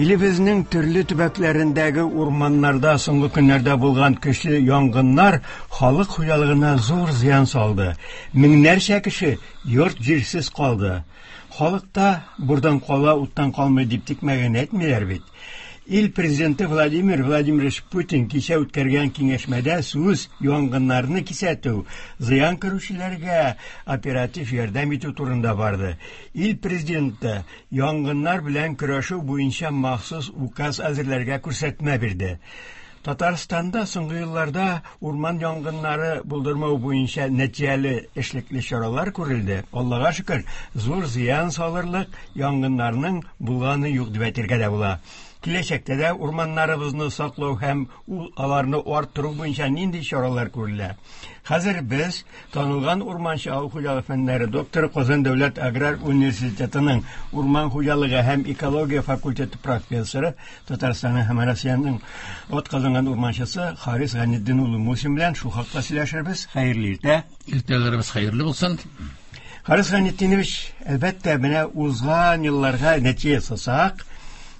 Илебезнең төрле төбәкләрендәге урманнарда соңгы көннәрдә булган көчле янгыннар халык хуҗалыгына зур зыян салды. Меңнәрчә кеше йорт-җирсез калды. Халыкта бурдан кала, уттан калмый дип тикмәгән әйтмиләр бит. Ил президенты Владимир Владимирович Путин кичә үткәргән киңәшмәдә сүз янгыннарны кисәтү, зыян күрүчеләргә оператив ярдәм итү турында барды. Ил президенты янгыннар белән көрәшү буенча махсус указ әзерләргә күрсәтмә бирде. Татарстанда соңгы елларда урман янгыннары булдырмау буенча нәтиҗәле эшлекле чаралар күрелде. Аллага шөкер, зур зыян салырлык янгыннарның булганы юк дип әйтергә дә була. Киләчәктә дә урманнарыбызны саклау һәм ул аларны арттыру буенча нинди чаралар күрелә? Хәзер без танылган урманчы авыл хуҗалыгы фәннәре докторы Казан дәүләт аграр университетының урман хуҗалыгы һәм экология факультеты профессоры Татарстанның һәм Россиянең атказанган урманчысы Харис Гайнетдин улы Мусин белән шул хакта сөйләшербез. Хәерле иртә. Иртәләребез хәерле булсын. Харис Гайнетдинович, әлбәттә, менә узган елларга нәтиҗә ясасак,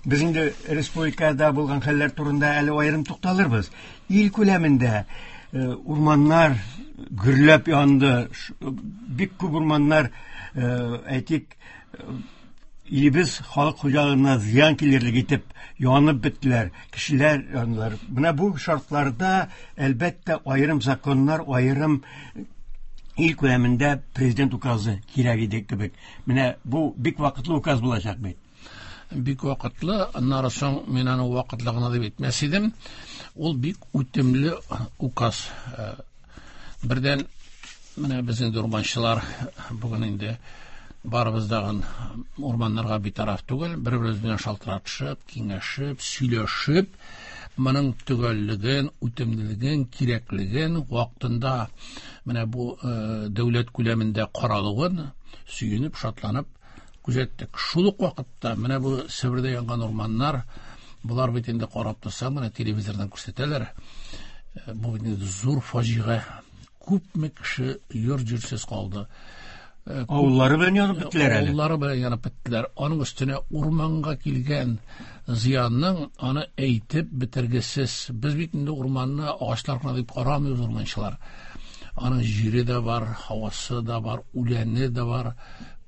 без инде республикада булган хәлләр турында әле аерым тукталырбыз. Ил күләмендә урманнар гөрләп янды. Бик күп урманнар, әйтик, илебез халык хуҗалыгына зыян килерлек итеп янып беттеләр, кешеләр яндылар. Менә бу шартларда, әлбәттә, аерым законнар, аерым ил күләмендә президент указы кирәк иде кебек. Менә бу бик вакытлы указ булачак бит. Бик вакытлы, аннары соң мин аны вакытлы гына дип әйтмәс идем. Ул бик үтемле указ. Бердән, менә без инде урманчылар бүген инде барыбыз дагын урманнарга битараф түгел, бер-беребез белән шалтыратышып, киңәшеп, сөйләшеп, моның төгәллеген, үтемлелеген, кирәклеген вакытында менә бу дәүләт күләмендә каралуын сөенеп, шатланып күзәттек. Шул ук вакытта менә бу Себердә янган урманнар, болар бит инде карап торсаң, менә телевизордан күрсәтәләр. Бу бит инде зур фаҗига. Күпме кеше йорт-җирсез калды. Авыллары белән янып беттеләр әле. Авыллары белән янып беттеләр. Аның өстенә урманга килгән зыянның аны әйтеп бетергесез. Без бит инде урманны агачлар гына дип карамыйбыз урманчылар. Аның җире дә бар, һавасы да бар, үләне дә бар,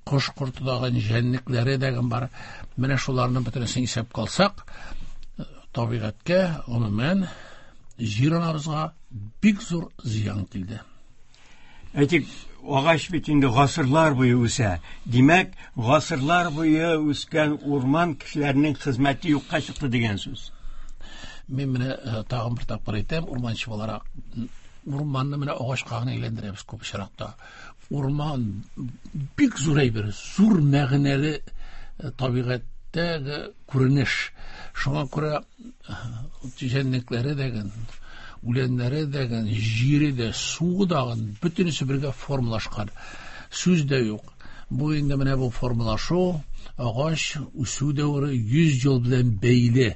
кош корты да, җәнлекләре дә бар. Менә шуларны бөтенесен исәпкә алсак, табигатькә, гомумән, җир анабызга бик зур зыян килде. Әйтик, агач бит инде гасырлар буе үсә. Димәк, гасырлар буе үскән урман кешеләрнең хезмәте юкка чыкты дигән сүз. Мин менә тагын бер тапкыр әйтәм, урманчы буларак, урманны менә агачка гына әйләндерәбез күп очракта. Урман бик зур әйбер, зур мәгънәле табигатьтәге күренеш. Шуңа күрә җәнлекләре дә, үләннәре дә, җире дә, суы да, бөтенесе бергә формалашкан. Сүз дә юк. Бу инде менә бу формалашу, агач үсү дәвере 100 ел белән бәйле.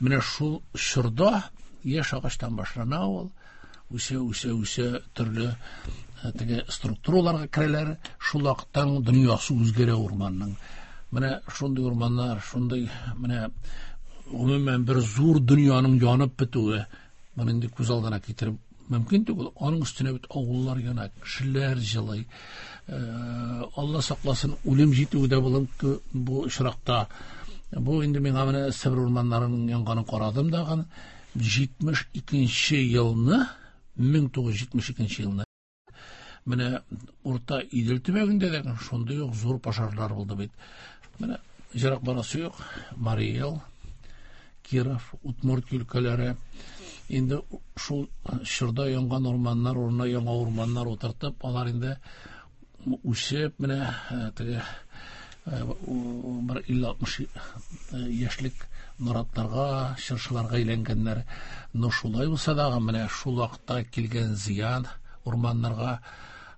Менә шул чорда яшь агачтан башлана ул, үсә, үсә, үсә, төрле теге структураларга керәләр. Шул вакыттан дөньясы үзгәрә урманның. Менә шундый урманнар, шундый менә гомумән бер зур дөньяның янып бетүе, моны инде күз алдына китереп мөмкин түгел. Аның өстенә бит авыллар яна, кешеләр җылый. Алла сакласын, үлем җитүе дә булып бу очракта. Бу инде миңа менә Себер урманнарының янганын карадым дагын. 72 елны, 1972 елны менә Урта Идел төбәгендә дә шундый ук зур пожарлар булды бит. Менә ерак барасы юк, Марий Эл, Киров, Удмурт өлкәләре. Инде шул чорда янган урманнар урынына яңа урманнар утыртып, алар инде үсеп, менә теге бер илле-алтмыш яшьлек наратларга, чыршыларга әйләнгәннәр. Но шулай булса да, менә шул вакытта килгән зыян урманнарга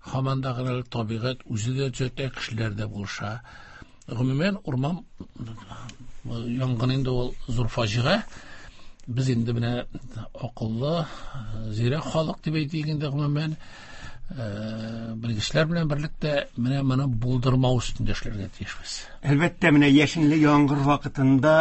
һаман да гына табигать үзе дә төзәтә, кешеләр дә булыша. Гомумән, урман янгын инде ул зур фаҗига. Без инде менә акыллы, зирәк халык дип әйтик инде гомумән. Белгечләр белән берлектә менә моны булдырмау өстендә эшләргә тиешбез. Әлбәттә, менә яшенле яңгыр вакытында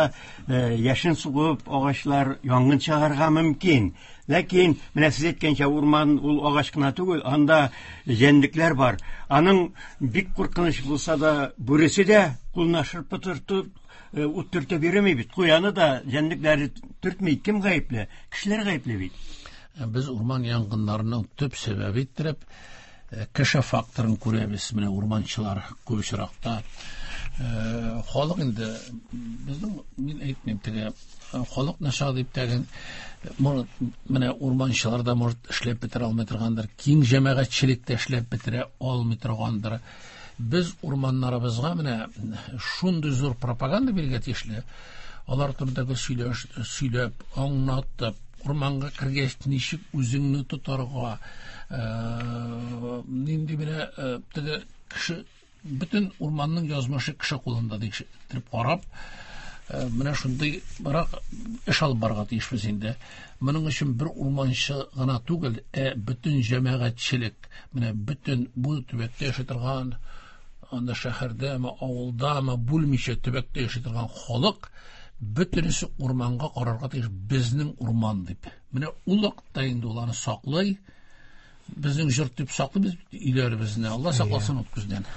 яшен сугып агачлар янгын чыгарга мөмкин. Ләкин менә сез әйткәнчә, урман ул агач кына түгел, анда җәнлекләр бар. Аның бик куркыныч булса да, бүресе дә кулына шырпы тотып, ут төртеп йөреми бит. Куяны да җәнлекләре төртми. Кем гаепле? Кешеләр гаепле бит. Без урман янгыннарының төп сәбәбе иттереп кеше факторын күрәбез. Менә урманчылар күп очракта халык инде безнең, мин әйтмим теге халык начар дип тәген, менә урманчылар да может эшләп бетерә алмый торгандыр, киң җәмәгатьчелек тә эшләп бетерә алмый торгандыр. Без урманнарыбызга менә шундый зур пропаганда бирергә тиешле. Алар турында сөйләп, аңлатып, урманга кергәч ничек үзеңне тотарга, нинди менә теге кеше, бөтен урманның язмышы кеше кулында дип карап, менә шундый бирак эш алып барырга тиешбез инде. Моның өчен бер урманчы гына түгел, ә бөтен җәмәгатьчелек, менә бөтен бу төбәктә яши торган, анда шәһәрдәме, авылдамы, бүлмичә төбәктә яши торган халык бөтенесе урманга карарга тиеш, безнең урман дип. Менә ул вакытта инде ул аны саклый, безнең җорт дип саклыйбыз өйләребезне. Алла сакласын ут күздән.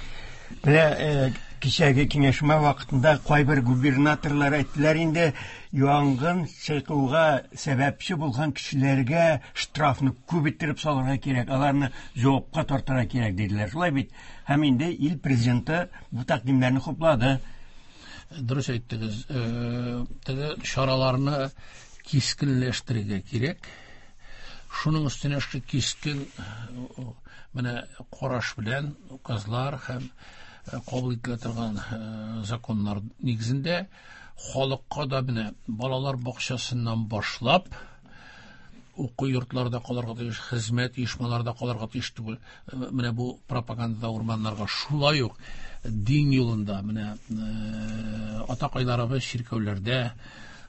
Менә кичәге киңәшмә вакытында кайбер губернаторлар әйттеләр инде, янгын чыгуга сәбәпче булган кешеләргә штрафны күп иттереп салырга кирәк, аларны җавапка тартырга кирәк диделәр. Шулай бит. Һәм инде ил президенты бу тәкъдимнәрне хуплады. Дөрес әйттегез. Теге чараларны кискенләштерергә кирәк. Шуның өстенә шул кискен менә караш белән указлар һәм кабул ителә торган законнар нигезендә халыкка да менә балалар бакчасыннан башлап уку йортларында калырга тиеш, хезмәт оешмаларында калырга тиеш түгел. Менә бу пропагандада урманнарга шулай ук дин юлында менә атакайларыбыз чиркәүләрдә,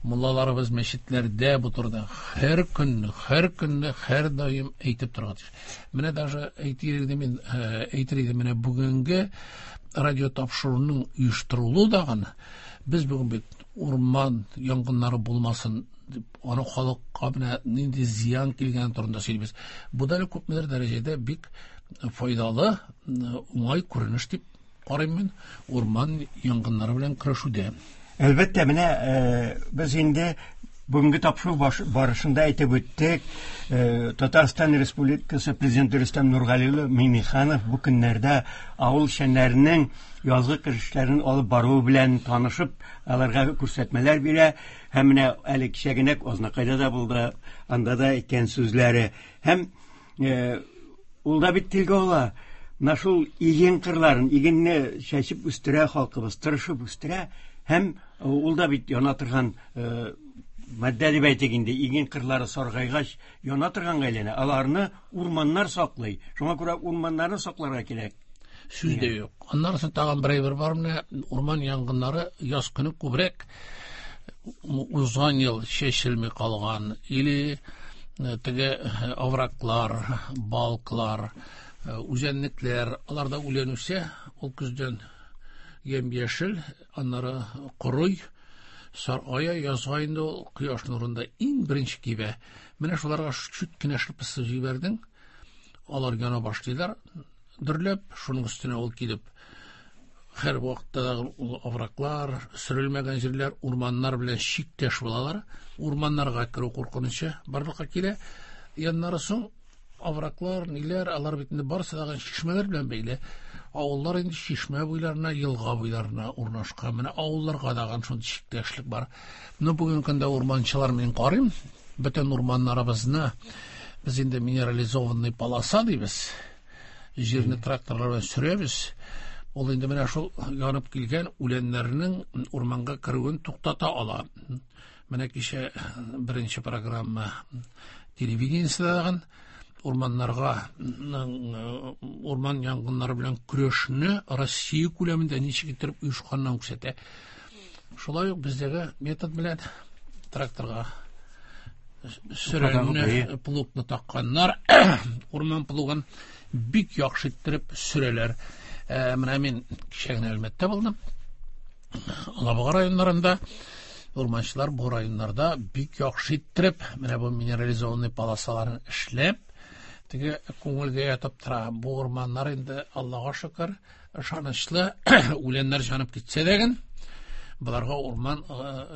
муллаларыбыз мәчетләрдә бу турыда һәр көнне, һәр көнне, һәр даим әйтеп торырга тиеш. Менә даже әйтер идем мин, әйтер идем, менә бүгенге радио тапшыруның оештырылуы дагын без бүген бит урман янгыннары булмасын дип, аны халыкка менә нинди зыян килгән турында сөйлибез. Бу да әле күпмедер дәрәҗәдә бик файдалы, уңай күренеш дип карыйм мин урман янгыннары белән көрәшүдә. Әлбәттә, менә без инде бүгенге тапшыру барышында әйтеп үттек, Татарстан Республикасы Президенты Рөстәм Нургали улы Миңнеханов бу көннәрдә авыл эшчәннәренең язгы кыр эшләрен алып баруы белән танышып, аларга күрсәтмәләр бирә. Һәм менә әле кичә генә Азнакайда да булды, анда да әйткән сүзләре. Һәм ул да бит телгә ала. Менә шул иген кырларын, игенне чәчеп үстерә халкыбыз, тырышып үстерә. Һәм ул да бит яна торган матдә дип әйтик инде, иген кырлары саргайгач яна торганга әйләнә. Аларны урманнар саклый. Шуңа күрә урманнарны сакларга кирәк. Сүз дә юк. Аннан соң тагын бер әйбер бар, менә урман янгыннары яз көне күбрәк узган ел чәчелми калган или теге овраглар, балклар, үзәнлекләр, аларда үлән үсә, ул көздән ямь-яшел, аннары корый, саргая, язга инде ул кояш нурында иң беренче кибә. Менә шуларга чүт кенә шырпысы җибәрдең, алар яна башлыйлар, дөрләп, шуның өстенә ул килеп, һәр вакытта да ул овраглар, сөрелмәгән җирләр, урманнар белән чиктәш булалар. Урманнарга керү куркынычы барлыкка килә. Яннары соң овраглар, ниләр, алар бит инде барысы да чишмәләр белән бәйле. Авыллар инде чишмә буйларына, елга буйларына урнашкан. Менә авылларга да шундый чиктәшлек бар. Но бүгенге көндә урманчылар мин карыйм, бөтен урманнарыбызны без инде минерализованный полоса дибез. Җирне тракторлар белән сөрәбез. Ул инде менә шул янып килгән үләннәрнең урманга керүен туктата ала. Менә кичә беренче программа телевидениесендә урманнарга, урман янгыннары белән көрәшне Россия күләмендә ничек итеп оешканнан күрсәтә. Шулай ук бездәге метод белән тракторга Сөрәнне, плугны такканнар, урман плугын бик яхшы иттереп сөрәләр. Менә мин кичә генә Әлмәттә булдым. Алабуга районнарында урманчылар бу районнарда бик яхшы иттереп, менә бу минерализованный полосаларын эшләп, теге күңелгә ятып тора. Бу урманнар инде, Аллага шөкер, ышанычлы, үләннәр җанып китсә дә ген, боларга урман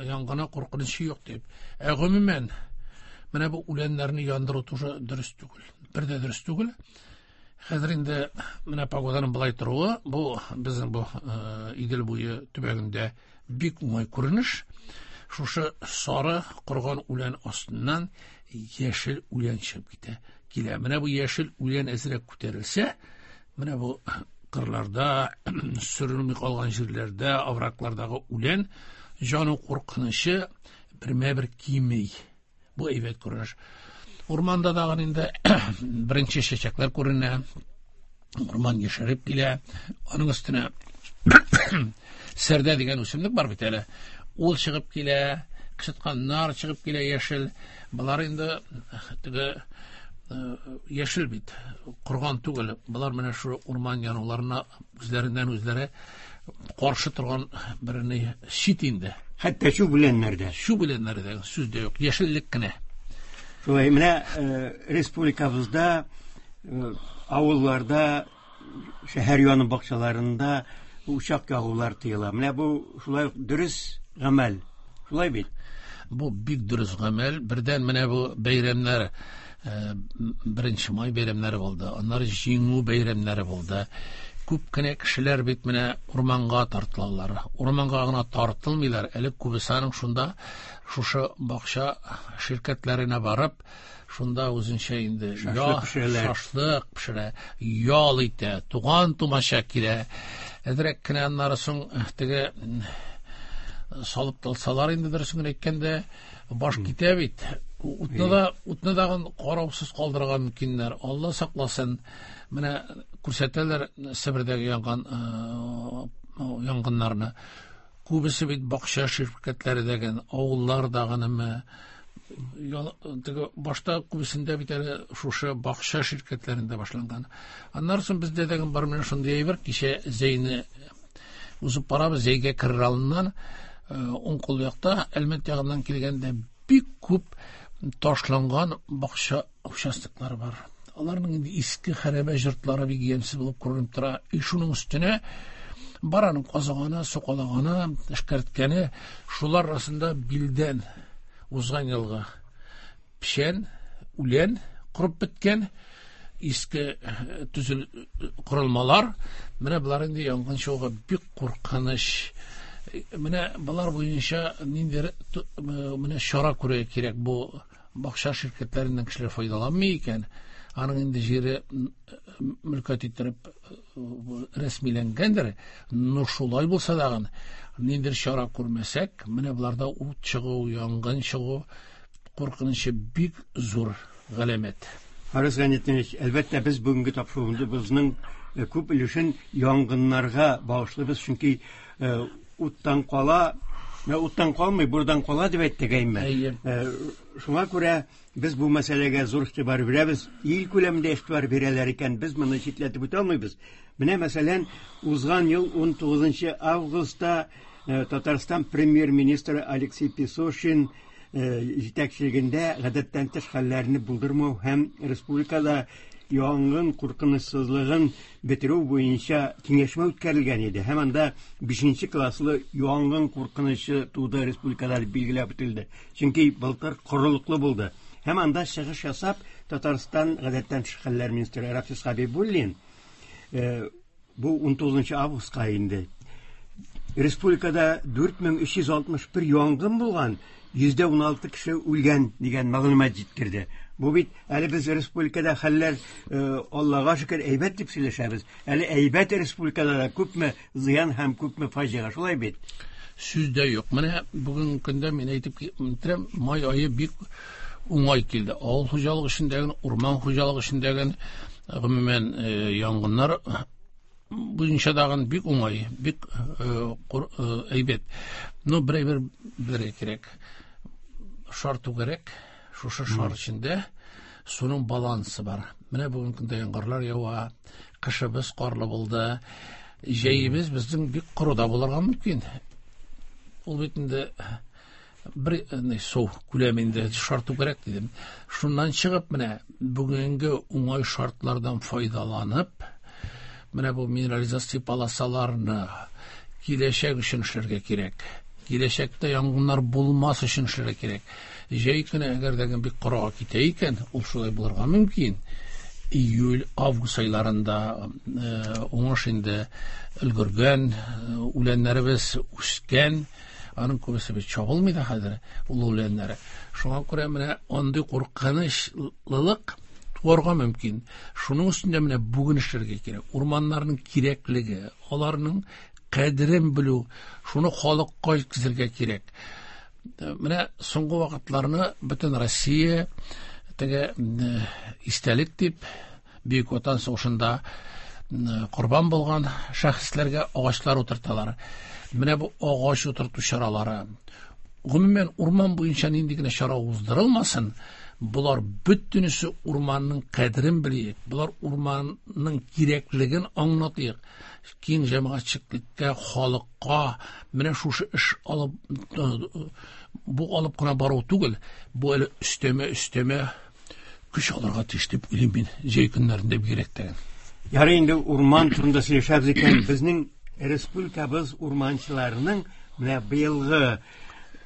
янгыны куркынычы юк дип. Ә гомумән, менә бу үләннәрне яндыру тоже дөрес түгел. Бер дә дөрес түгел. Хәзер инде менә погоданың былай торуы, бу безнең бу Идел буе төбәгендә бик уңай күренеш. Шушы сары корган үлән астыннан яшел үлән чыгып китә. Килә. Менә бу яшел үлән әзрәк күтәрелсә, менә бу кырларда, сөрелми калган җирләрдә, овраглардагы үлән җану куркынычы бермә-бер кими. Бу әйбәт күренеш. Урманда дагы инде беренче чәчәкләр күренә. Урман яшәреп килә. Аның өстенә сәрдә дигән үсемлек бар бит әле. Ул чыгып килә, кычытканнар чыгып килә яшел. Болар инде теге яшел бит, корган түгел. Болар менә шу урман януларына үзләреннән үзләре каршы торган бер ни щит инде. Хәтта чүп үләннәрдә. Чүп үләннәрдә сүз дә юк, яшеллек кенә. Шулай, менә республикабызда авылларда, шәһәр яны бакчаларында учак ягулар тыела. Менә бу шулай ук дөрес гамәл. Шулай бит? Бу бик дөрес гамәл. Бердән менә бу бәйрәмнәр, 1 май бәйрәмнәре булды, аннары Җиңү бәйрәмнәре булды. Күп кенә кешеләр бит менә урманга тартылалар. Урманга гына тартылмыйлар, әле күбесе аның шунда шушы бакча ширкәтләренә барып, шунда үзенчә инде шашлык пешерә, ял итә, туган тумача килә. Әзрәк кенә аннары соң теге салып талсалар инде, дөресен генә әйткәндә, баш китә бит. Утны да, утны дагын караусыз калдырырга мөмкиннәр. Алла сакласын. Менә күрсәтәләр Себердәге янган янгыннарны. Күбесе бит бакча ширкәтләре дәген, авыллар дагынымы? Теге башта күбесендә бит әле шушы бакча ширкәтләрендә башланган. Аннары соң бездә дә бар менә шундый әйбер, кичә Зәйне узып барабыз, Зәйгә керер алдыннан, уң кул якта Әлмәт ягыннан килгәндә бик күп ташланган бакча участоклары бар. Аларның инде иске хәрабә йортлары бик ямьсез булып күренеп тора. И шуның өстенә бар аның казыганы, сукалаганы, эшкәрткәне, шулар арасында билдән узган елгы печән, үлән корып беткән, иске төзел корылмалар. Менә болар инде янгын чыгуга бик куркыныч. Менә болар буенча ниндидер менә чара күрергә кирәк. Бу бакча ширкәтләреннән кешеләр файдаланмый икән, аның инде җире мөлкәт иттереп рәсмиләнгәндер, но шулай булса дагын ниндидер чара күрмәсәк, менә боларда ут чыгу, янгын чыгу куркынычы бик зур галәмәт. Харис Гайнетдинович, әлбәттә, без бүгенге тапшыруыбызның күп өлешен янгыннарга багышлыйбыз, чөнки уттан кала, уттан калмый, бурдан кала дип әйттек, әйме? Әйе. Шуңа күрә без бу мәсьәләгә зур игътибар бирәбез. Ил күләмендә игътибар бирәләр икән, без моны читләтеп үтә алмыйбыз. Менә, мәсәлән, узган ел 19 августта Татарстан премьер-министры Алексей Песошин җитәкчелегендә гадәттән тыш хәлләрне булдырмау һәм республикада янгын куркынычсызлыгын бетерү буенча киңәшмә үткәрелгән иде. Һәм анда 5 класслы янгын куркынычы туды республикада дип билгеләп үтелде. Чөнки былтыр корылыклы булды. Һәм анда чыгыш ясап, Татарстан гадәттән тыш хәлләр министры Рафис Хәбибуллин, бу 19 августка инде, республикада 4361 янгын булган, 16% кеше үлгән дигән мәгълүмат җиткерде. Бу бит әле без республикада хәлләр, Аллага шөкер, әйбәт дип сөйләшәбез. Әле әйбәт республикада да күпме зыян һәм күпме фаҗига, шулай бит? Сүз дә юк. Менә бүгенге көндә мин әйтеп китерәм, май ае бик уңай килде. Авыл хуҗалыгы эшендәге, урман хуҗалыгы эшендәге, гомумән, янгыннар буенча дагын бик уңай, бик әйбәт. Но бер әйбер белергә кирәк. Шар түгәрәк. Шушы шар эчендә суның балансы бар. Менә бүгенге көндә яңгырлар ява, кышыбыз карлы булды. Җәебез безнең бик коры да булырга мөмкин. Ул бит инде бер су күләме инде шар түгәрәк дидем. Шуннан чыгып менә бүгенге уңай шартлардан файдаланып, менә бу минерализация полосаларны киләчәк өчен эшләргә кирәк. Киләчәктә янгыннар булмас өчен эшләргә кирәк. Җәй көне әгәр дә бик корыга китә икән, ул шулай булырга мөмкин. Июль, август айларында уңыш инде өлгергән, үләннәребез үскән, аның күбесе бит чабылмый да хәзер ул үләннәре. Шуңа күрә менә андый куркынычлылык туарга мөмкин. Шуның өстендә менә бүген эшләргә кирәк. Урманнарның кирәклеге, аларның кадерен белү, шуны халыкка җиткезергә кирәк. Менә соңгы вакытларны бөтен Россия теге истәлек дип Бөек Ватан сугышында корбан булган шәхесләргә агачлар утырталар. Менә бу агач утырту чаралары. Гомумән, урман буенча нинди генә чара уздырылмасын, болар бөтенесе урманның кадерен белик, болар урманның кирәклеген аңлатыйк. Киң җәмәгатьчелеккә, халыкка менә шушы эш алып, бу алып кына бару түгел, бу әле өстәмә көч алырга тиеш дип уйлыйм мин, җәй көннәрендә бигрәк тә. Ярый инде урман турында сөйләшәбез икән, безнең республикабыз урманчыларының менә быелгы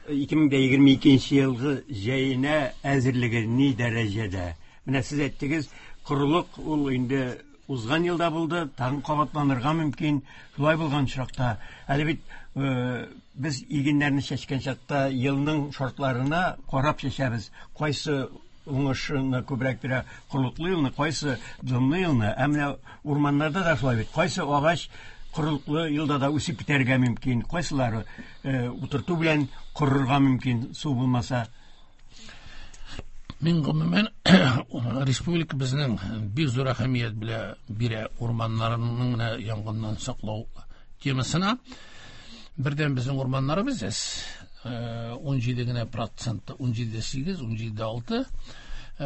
2022 елгы җәенә әзерлеге ни дәрәҗәдә? Менә сез әйттегез, корылык ул инде узган елда булды, тагын кабатланырга мөмкин. Шулай булган очракта, әле бит без игеннәрне чәчкән чакта елның шартларына карап чәчәбез. Кайсы уңышны күбрәк бирә, корылыклы елны, кайсы дымлы елны. Ә менә урманнарда да шулай бит. Кайсы агач корылыклы елда да үсеп китәргә мөмкин, кайсылары утырту белән корырга мөмкин, су булмаса. Мин гомумән республика безнең бик зур әһәмият бирә урманнарының менә янгыннан саклау темасына. Бердән безнең урманнарыбыз әз, 17 генә процент, 17,8, 17,6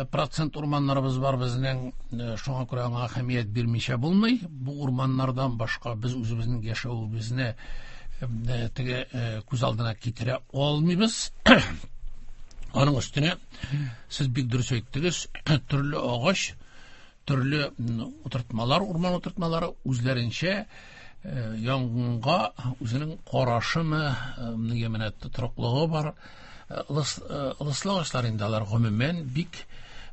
процент урманнарыбыз бар безнең. Шуңа күрә аңа әһәмият бирмичә булмый. Бу урманнардан башка без үзебезнең яшәвебезне теге күз алдына китерә алмыйбыз. Аның өстенә сез бик дөрес әйттегез, төрле агач, төрле утыртмалар, урман утыртмалары үзләренчә янгынга үзенең карашымы, нигә менә тотрыклыгы бар. Ылыслы агачлар инде алар гомумән бик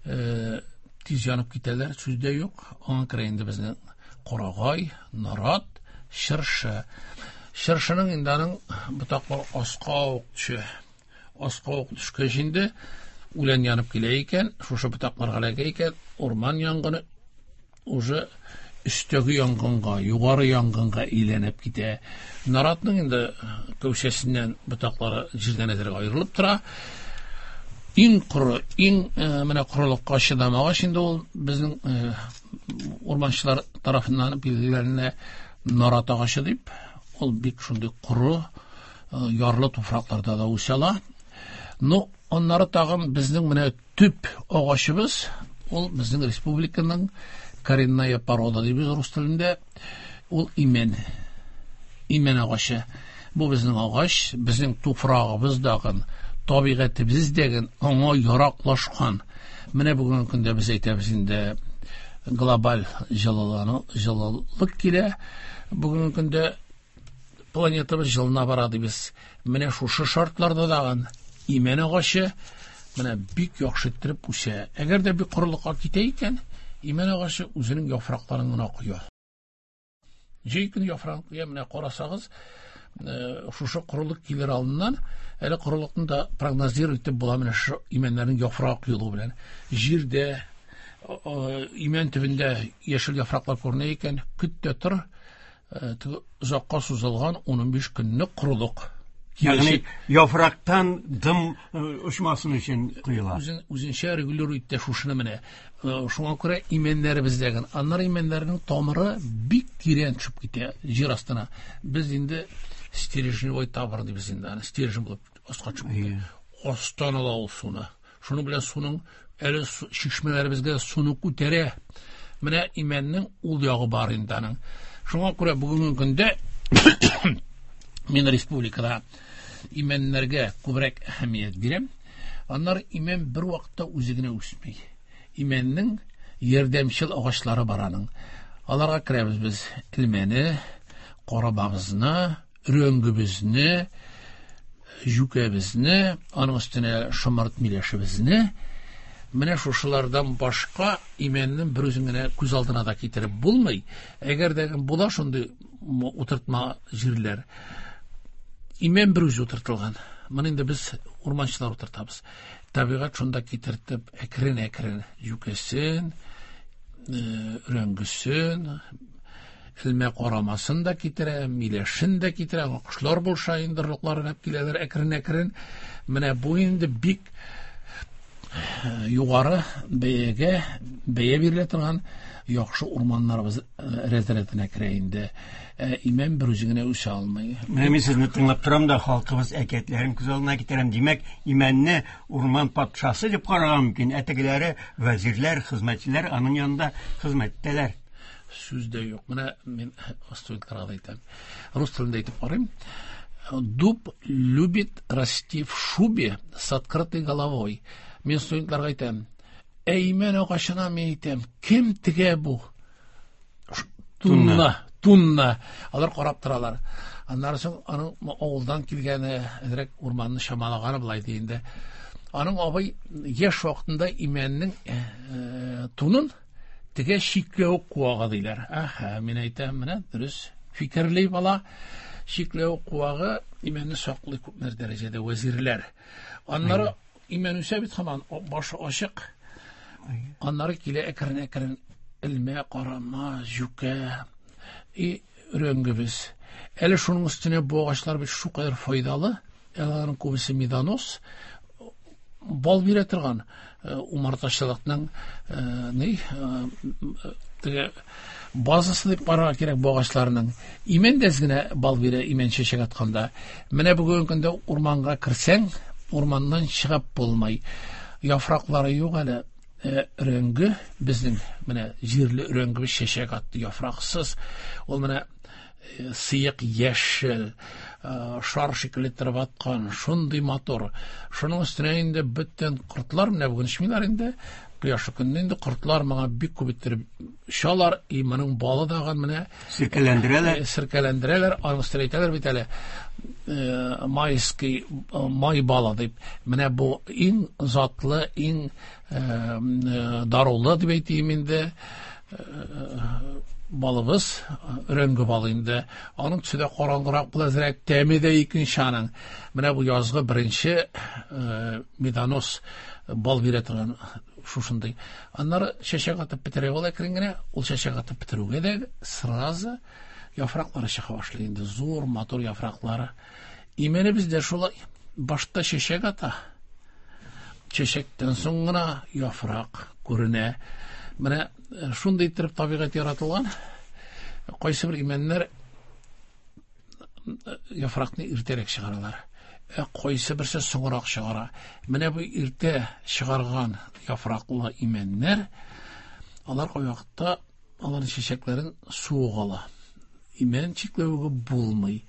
тиз янып китәләр, сүз дә юк. Аңа керә инде безнең карагай, нарат, чыршы. Чыршының инде аның ботаклары аска ук төшә. Аска ук төшкәч инде үлән янып килә икән, шушы ботакларга эләгә икән, урман янгыны уже өстәге янгынга, югары янгынга әйләнеп китә. Наратның инде кәүсәсеннән ботаклары җирдән әзрәк аерылып тора. Иң коры, иң менә корылыкка чыдамагач инде ул безнең урманчылар тарафыннан билгеләнә нарат агачы дип, ул бик шундый коры, ярлы туфракларда да үсә ала. Но аннары тагын безнең менә төп агачыбыз, ул безнең республиканың коренная порода дибез рус телендә, ул имән. Имән агачы. Бу безнең агач, безнең туфрагыбыз дагын, табигатебез дәген аңа яраклашкан. Менә бүгенге көндә без әйтәбез инде глобаль җылылану, җылылык килә. Бүгенге көндә планетабыз җылына бара дибез. Менә шушы шартларда дагын имән агачы менә бик яхшы иттереп үсә. Әгәр дә бик корылыкка китә икән, имән агачы үзенең яфракларын гына коя. Җәй көне яфрагын коя, менә карасагыз, шушы корылык килер алдыннан, әле корылыкны да прогнозировать итеп була менә шушы имәннәрнең яфрак юлы белән. Җирдә, имән төбендә яшел яфраклар күренә икән, көт тә тор, теге озакка сузылган 15 көнлек корылык. Ягъни яфрактан дым очмасын өчен коела. Үзенчә регулирует итә шушыны менә. Шуңа күрә имәннәребездәге, аннары имәннәрнең тамыры бик тирән төшеп китә җир астына. Без инде стержневой тамыр дибез инде, аны стержень булып аска төшеп китә. Астан ала ул суны. Шуның белән суның әле чишмәләребезгә суны күтәрә. Менә имәннең ул ягы бар инде аның. Шуңа күрә бүгенге көндә мин республикада имәннәргә күбрәк әһәмият бирәм. Аннары имән бер вакытта үзе генә үсми. Имәннең ярдәмчел агачлары бар аның. Аларга керәбез без элмәне, карабагызны, өрәңгебезне, җүкәбезне, аның өстенә шомырт миләшебезне. Менә шушылардан башка имәннең бер үзен генә күз алдына да китереп булмый. Әгәр дә була шундый утыртма җирләр, имән бер үзе утыртылган. Моны инде без урманчылар утыртабыз. Табигать шунда китертеп, әкрен-әкрен җүкәсен, өрәңгесен, элмә карамасын да китерә, миләшен дә китерә, кошлар булса инде орлыкларын алып киләләр әкрен-әкрен. Менә бу инде бик югары бәягә бәя бирелә торган яхшы урманнарыбыз рәт-рәтенә керә инде. Имән бер үзе генә үсә алмый. Менә мин сезне тыңлап торам да халкыбыз әкиятләрен күз алдына китерәм. Димәк, имәнне урман патшасы дип карарга мөмкин. Ә тегеләре вәзирләр, хезмәтчеләр аның янында хезмәт итәләр. Сүз дә юк. Менә мин студентларга да әйтәм. Рус телендә әйтеп карыйм. Дуб любит расти в шубе с открытой головой. Мин студентларга әйтәм. Ә имән агачына мин әйтәм, кем тегә бу? Тунна, тунна. Алар карап торалар. Аннары соң аның авылдан килгәне, әзрәк урманны чамалаганы былай ди инде. Аның абый яшь вакытында имәннең тунын теге чикләвек куагы диләр. Әһә, мин әйтәм, менә дөрес фикерли бала. Чикләвек куагы имәнне саклый күпмедер дәрәҗәдә вәзирләр. Аннары имән үсә бит һаман, башы ачык. Аннары килә әкрен-әкрен элмә, карама, җүкә и өрәңгебез. Әле шуның өстенә бу агачлар бит шулкадәр файдалы. Аларның күбесе медонос, бал бирә торган умартачылыкның ни теге базасы дип карарга кирәк бу агачларның. Имән дә әз генә бал бирә, имән чәчәк атканда. Менә бүгенге көндә урманга керсәң, урманнан чыгып булмый. Яфраклары юк әле. Өрәңге безнең менә җирле өрәңгебез чәчәк атты, яфраксыз. Ул менә сыек яшел, шар шикелле торып аткан, шундый матур. Шуның өстенә инде бөтен кортлар, менә бүген эчмиләр инде, кояшлы көндә инде кортлар моңа бик күп иттереп очалар, и моның балы дагын менә сиркәләндерәләр. Сиркәләндерәләр, аның өстенә әйтәләр бит әле, майский май балы дип. Менә бу иң затлы, иң дарулы дип әйтим инде, балыбыз, өрәңге балы инде. Аның төсе дә караңгырак була, әзрәк тәме дә икенче аның. Менә бу язгы беренче медонос бал бирә торган шушындый. Аннары чәчәк атып бетерә ул әкрен генә. Ул чәчәк атып бетерүгә дә сразу яфраклары чыга башлый инде. Зур, матур яфраклары. Имәнебез дә шулай. Башта чәчәк ата. Чәчәктән соң гына яфрак күренә. Менә шундый иттереп табигать яратылган. Кайсы бер имәннәр яфракны иртәрәк чыгаралар. Ә кайсы берсе соңрак чыгара. Менә бу иртә чыгарган яфраклы имәннәр, алар кайвакытта аларның чәчәкләрен суык ала. Имән чикләвеге булмый.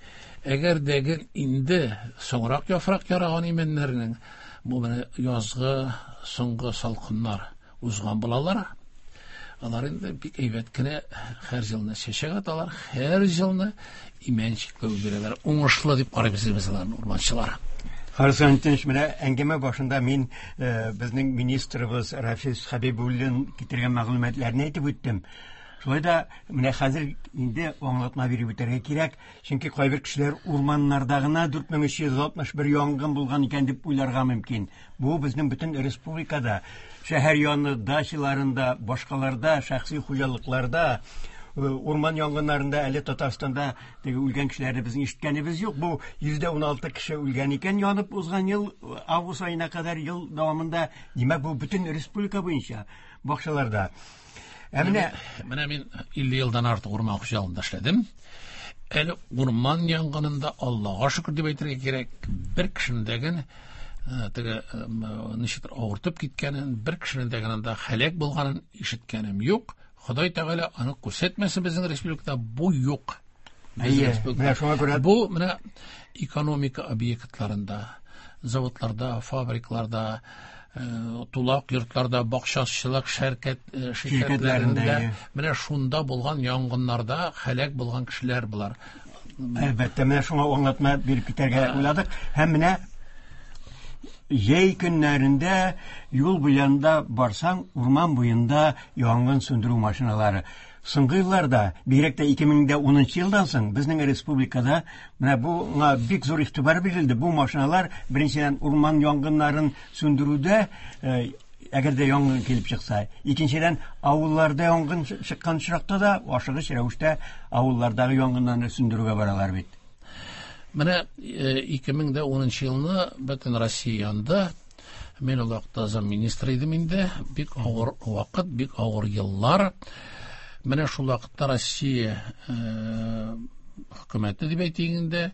Әгәр дә инде соңрак яфрак яраган имәннәрнең, бу менә язгы соңгы салкыннар узган булалар. Алар инде бик әйбәт кенә һәр елны чәчәк аталар, һәр елны имән чикләве бирәләр. Уңышлы дип карыйбыз без аларны, урманчылар. Харис Антонович, менә әңгәмә башында мин безнең министрыбыз Рафис Хәбибуллин китергән мәгълүматларны әйтеп үттем. Шулай да менә хәзер инде аңлатма биреп үтәргә кирәк, чөнки кайбер кешеләр урманнарда гына 4361 янгын булган икән дип уйларга мөмкин. Бу безнең бөтен республикада, шәһәр яны дачаларында, башкаларда, шәхси хуҗалыкларда, урман янгыннарында әле Татарстанда теге үлгән кешеләрне безнең ишеткәнебез юк. Бу 116 кеше үлгән икән янып узган ел август аена кадәр ел дәвамында. Димәк, бу бөтен республика буенча бакчаларда. Ә менә мин 50 елдан артык урман хуҗалыгында эшләдем. Әле урман янгынында, Аллага шөкер дип әйтергә кирәк, бер кешенең дә генә Теге ничектер авыртып киткәнен, бер кешенең дә анда һәлак булганын ишеткәнем юк. Ходай Тәгалә аны күрсәтмәсен, безнең республикада бу юк. Әйе, менә шуңа күрә бу менә экономика объектларында, заводларда, фабрикларда, тулак йортларда, бакчачылык ширкәтләрендә, менә шунда булган янгыннарда һәлак булган кешеләр болар. Әлбәттә, менә шуңа аңлатма биреп китәргә уйладык. Һәм менә җәй көннәрендә юл буенда барсаң, урман буенда янгын сүндерү машиналары. Соңгы елларда, бигрәк тә 2010 елдан соң, безнең республикада менә буңа бик зур игътибар бирелде. Бу машиналар беренчедән урман янгыннарын сүндерүдә, әгәр дә янгын килеп чыкса, икенчедән авылларда янгын чыккан очракта да ашыгыч рәвештә авыллардагы янгыннарны сүндерүгә баралар бит. Менә 2010 елны бөтен Россия янды. Мин ул вакытта замминистр идем инде. Бик авыр вакыт, бик авыр еллар. Менә шул вакытта Россия хөкүмәте дип әйтик инде,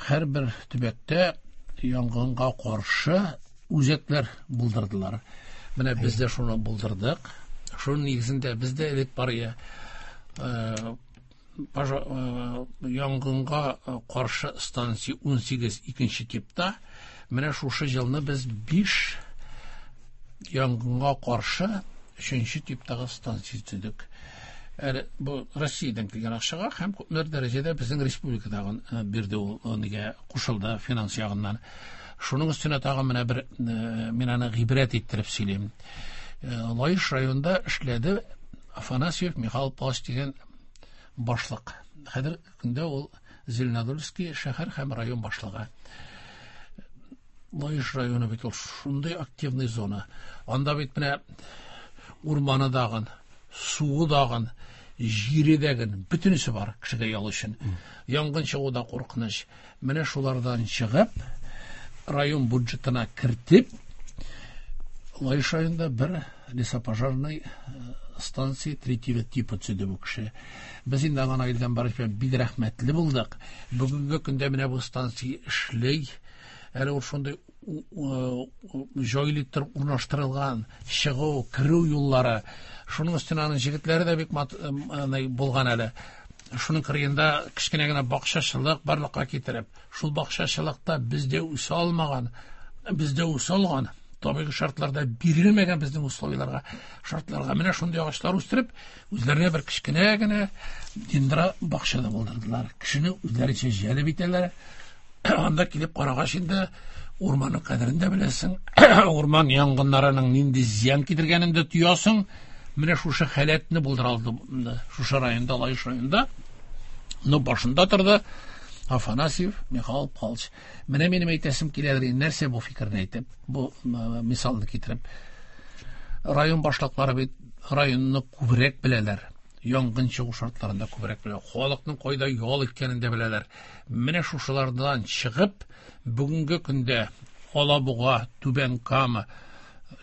һәрбер төбәктә янгынга каршы үзәкләр булдырдылар. Менә без дә шуны булдырдык. Шуның нигезендә без дә элек бар янгынга каршы станция 18 икенче типта. Менә шушы елны без 5 янгынга каршы 3 типтагы станция төзедек. Әле бу Россиядән килгән акчага һәм күпмедер дәрәҗәдә безнең республикадагы бирде ул, нигә кушылды финанс ягыннан. Шуның өстенә тагын менә бер мин аны гыйбрәт иттереп сөйлим. Лаеш районында эшләде Афанасьев Михаил Павлович дигән башлык. Хәзер көндә ул Зеленодольский шәһәр һәм район башлыгы. Лаеш районы бит ул шундый активный зона. Анда бит менә урманы дагын, суы дагын, җире дагын, бөтенесе бар кешегә ял өчен. Янгын чыгу да куркыныч. Менә шулардан чыгып, район бюджетына кертеп, Лаеш районында бер лесопожарный станция третьего типа төзеде бу кеше. Без инде аңа Наил Гамбарович белән бик рәхмәтле булдык. Бүгенге көндә менә бу станция эшли. Әле ул шундый җайлы итеп урнаштырылган чыгу, керү юллары. Шуның өстенә аның җегетләре дә бик булган әле. Шуның кырыенда кечкенә генә бакчачылык барлыкка китереп, шул бакчачылыкта бездә үсә алмаган, бездә үсә алган табигый шартларда бирелмәгән безнең условияләргә, шартларга менә шундый агачлар үстереп, үзләренә бер кечкенә генә дендра бакча да булдырдылар. Кешене үзләренчә җәлеп итәләр. Анда килеп карагач инде урманның кадерен дә беләсең, урман янгыннарының нинди зыян китергәнен дә тоясың. Менә шушы халәтне булдыра алды шушы районда, Лаеш районында. Но башында торды Афанасьев Михаил Павлович. Менә минем әйтәсем киләдер, нәрсә бу фикерне әйтеп, бу мисалны китереп. Район башлыклары бит районны күбрәк беләләр. Янгын чыгу шартларында күбрәк беләләр. Халыкның кайда ял иткәнен дә беләләр. Менә шушылардан чыгып, бүгенге көндә Алабуга, Түбән Кама,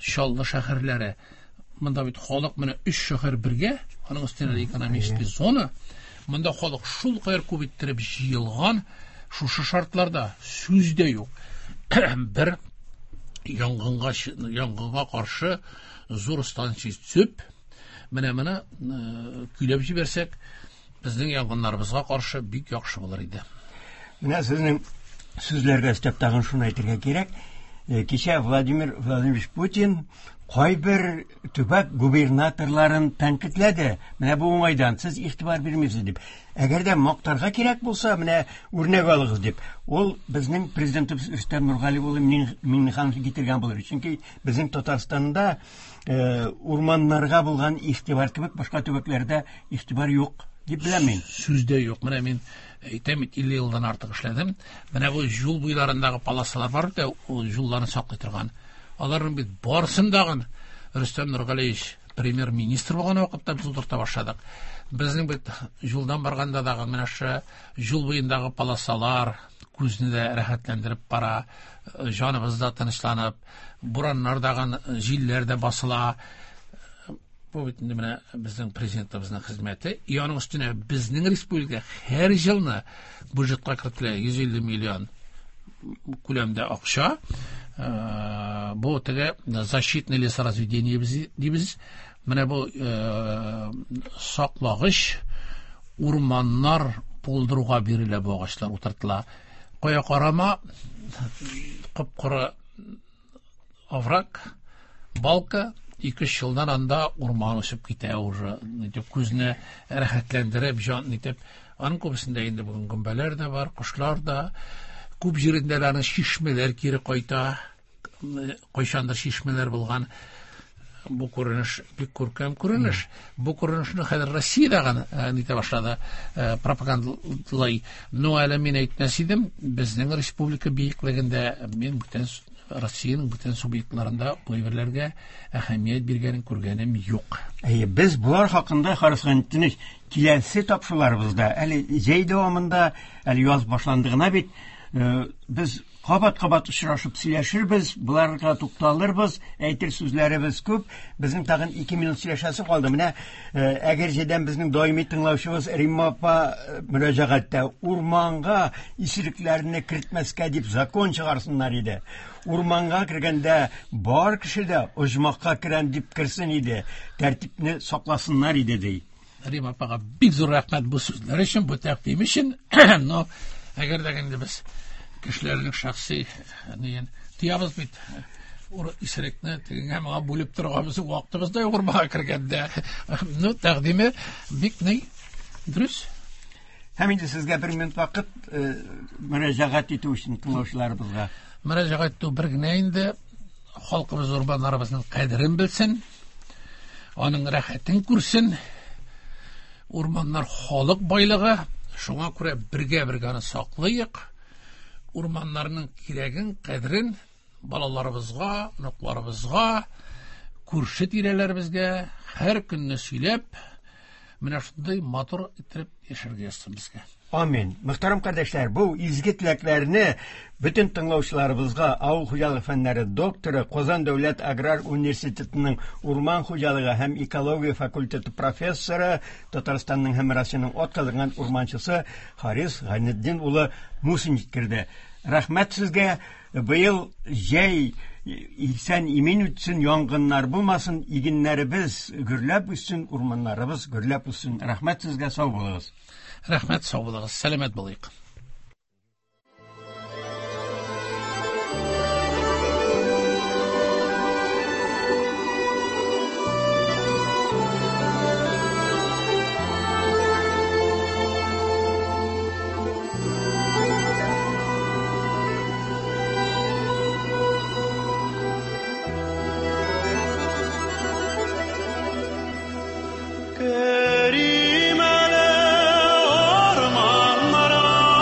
Чаллы шәһәрләре, монда бит халык менә 3 шәһәр бергә, аның өстенә экономический зона, монда халык шул кадәр күп иттереп җыелган, шушы шартларда сүз дә юк. Бер янгынга каршы зур станция төзеп, менә моны көйләп җибәрсәк, безнең янгыннарыбызга каршы бик яхшы булыр иде. Менә сезнең сүзләргә өстәп тагын шуны әйтергә кирәк. Кичә Владимир Владимирович Путин кайбер төбәк губернаторларын тәнкыйтьләде. Менә бу уңайдан сез игътибар бирмисез дип. Әгәр дә мактарга кирәк булса, менә үрнәк алыгыз дип. Ул безнең президентыбыз Рөстәм Нургали улы Миңнеханов китергән булыр. Чөнки безнең Татарстанда урманнарга булган игътибар кебек башка төбәкләрдә игътибар юк дип беләм мин. Сүз дә юк. Менә мин әйтәм бит, 50 елдан артык эшләдем. Менә бу юл буйларындагы полосалар бар бит, ул юлларны саклый торган. Аларның бит барысын дагын Рөстәм Нургалиевич премьер-министр булган вакытта без утырта башладык. Безнең бит юлдан барганда дагы менә шу юл буендагы полосалар күзне дә рәхәтләндереп бара, җаныбыз да тынычланып, бураннар дагын, җилләр дә басыла. Бу бит инде менә безнең президентыбызның хезмәте. И аның өстенә безнең республика һәр елны бюджетка кертелә 150 миллион күләмдә акча. Бу теге защитный лесоразведение дибез. Менә бу саклагыч урманнар булдыруга бирелә бу агачлар утыртыла. Кая карама кып-кыры овраг, балка, 2-3 елдан анда урман үсеп китә уже. Нитеп күзне рәхәтләндереп, җан нитеп. Аның күбесендә инде бүген гөмбәләр дә бар, кошлар да. Күп җирендә аның чишмәләр кире кайта. Кайчандыр чишмәләр булган. Бу күренеш бик күркәм күренеш. Бу күренешне хәзер Россиядә генә нитә башлады, пропагандалай. Но әле мин әйтмәс идем, безнең республика биеклегендә мин бүтән Россиянең бүтән субъектларында бу әйберләргә әһәмият биргәнен күргәнем юк. Әйе, без болар хакында Харис Гайнетдинович киләсе тапшыруларыбызда, әле җәй дәвамында, әле яз башланды гына бит, без кабат-кабат очрашып сөйләшербез, боларга тукталырбыз, әйтер сүзләребез күп. Безнең тагын 2 минут сөйләшәсе калды. Менә Әгерҗедән безнең даими тыңлаучыбыз Римма апа мөрәҗәгатьтә урманга исерекләрне кертмәскә дип закон чыгарсыннар иде. Урманга кергәндә бар кеше дә оҗмахка керәм дип керсен иде, тәртипне сакласыннар иде ди. Римма апага бик зур рәхмәт бу сүзләр өчен, бу тәкъдим өчен. Но әгәр дә инде без кешеләрнең шәхси нигән тыябыз бит, исерекне тегеңә моңа бүлеп торырга безнең вакытыбыз да юк урманга кергәндә. Ну, тәкъдиме бик ни дөрес. Һәм инде сезгә бер минут вакыт мөрәҗәгать итү өчен тыңлаучыларыбызга. Мөрәҗәгать итү бер генә инде, халкыбыз урманнарыбызның кадерен белсен, аның рәхәтен күрсен. Урманнар халык байлыгы, шуңа күрә бергә-бергә аны саклыйк. Урманнарның кирәген, кадерен балаларыбызга, оныкларыбызга, күрше тирәләребезгә һәр көнне сөйләп, менә шундый матур итеп яшәргә язсын безгә. Амин. Мөхтәрәм кардәшләр, бу изге теләкләрне бөтен тыңлаучыларыбызга авыл хуҗалыгы фәннәре докторы, Казан дәүләт аграр университетының урман хуҗалыгы һәм экология факультеты профессоры, Татарстанның һәм Россиянең атказанган урманчысы Харис Гайнетдин улы Мусин җиткерде. Рәхмәт сезгә. Быел җәй исән имин үтсен, янгыннар булмасын, игеннәребез гөрләп үссен, урманнарыбыз гөрләп үссен. Рәхмәт сезгә, сау булыгыз. Рәхмәт, сау булыгыз. Сәламәт булыйк. Керим әле урманнарга.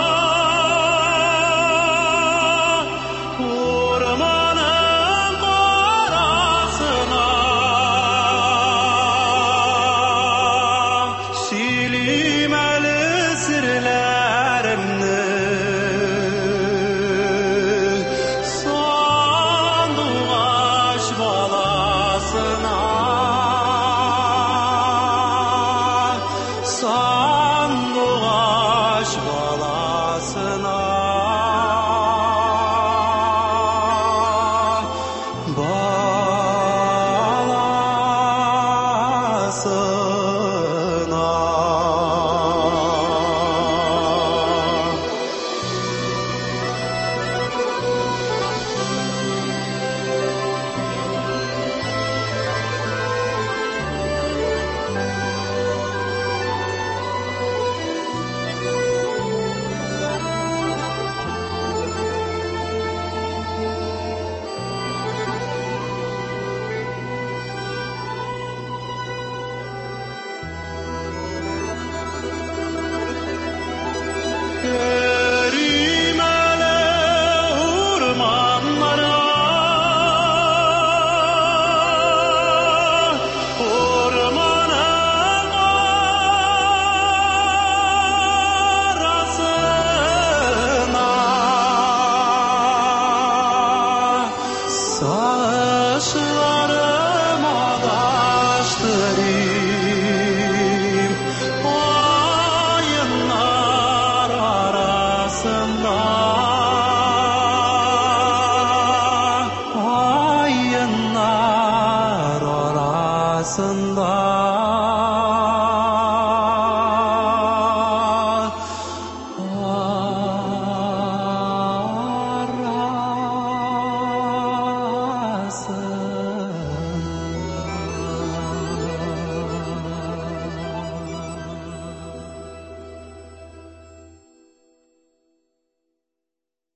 Арасында.